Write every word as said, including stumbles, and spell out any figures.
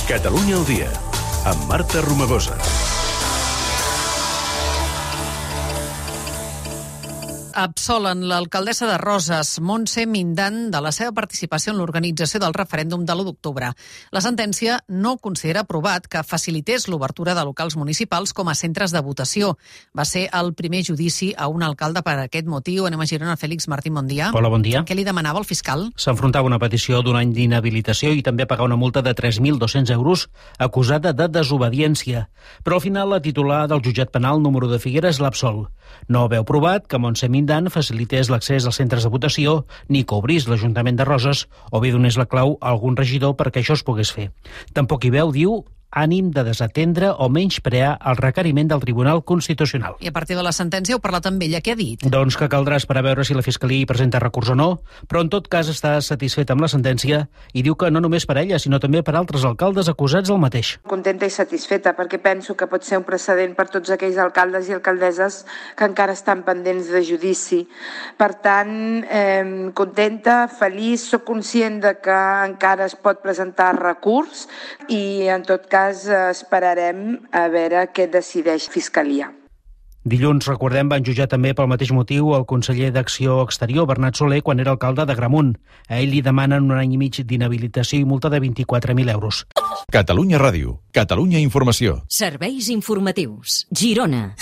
Catalunya al dia, amb Marta Romagosa. Absolen l'alcaldessa de Roses, Montse Mindan, de la seva participació en l'organització del referèndum de l'u d'octubre. La sentència no considera aprovat que facilités l'obertura de locals municipals com a centres de votació. Va ser el primer judici a un alcalde per aquest motiu. Anem a Girona. Fèlix Martín, bon dia. Hola, bon dia. Què li demanava el fiscal? S'enfrontava una petició d'un any d'inhabilitació i també pagar una multa de tres mil dos-cents euros acusada de desobediència. Però al final la titular del jutjat penal número de Figueres l'absol. No veu provat que Montse Mindan facilités l'accés als centres de votació ni que obrís l'Ajuntament de Roses o bé donés la clau a algun regidor perquè això es pogués fer. Tampoc hi veu, diu, ànim de desatendre o menysprear el requeriment del Tribunal Constitucional. I a partir de la sentència heu parlat amb ella. Què ha dit? Doncs que caldrà esperar a veure si la Fiscalia hi presenta recurs o no, però en tot cas està satisfet amb la sentència i diu que no només per ella, sinó també per altres alcaldes acusats del mateix. Contenta i satisfeta, perquè penso que pot ser un precedent per tots aquells alcaldes i alcaldesses que encara estan pendents de judici. Per tant, eh, contenta, feliç, soc conscient de que encara es pot presentar recurs i en tot cas esperarem a veure què decideix Fiscalia. Dilluns, recordem, van jutjar també pel mateix motiu el conseller d'Acció Exterior, Bernat Soler, quan era alcalde d'Agramunt. A ell li demanen un any i mig d'inhabilitació i multa de vint-i-quatre mil euros. Catalunya Ràdio, Catalunya Informació. Serveis informatius. Girona.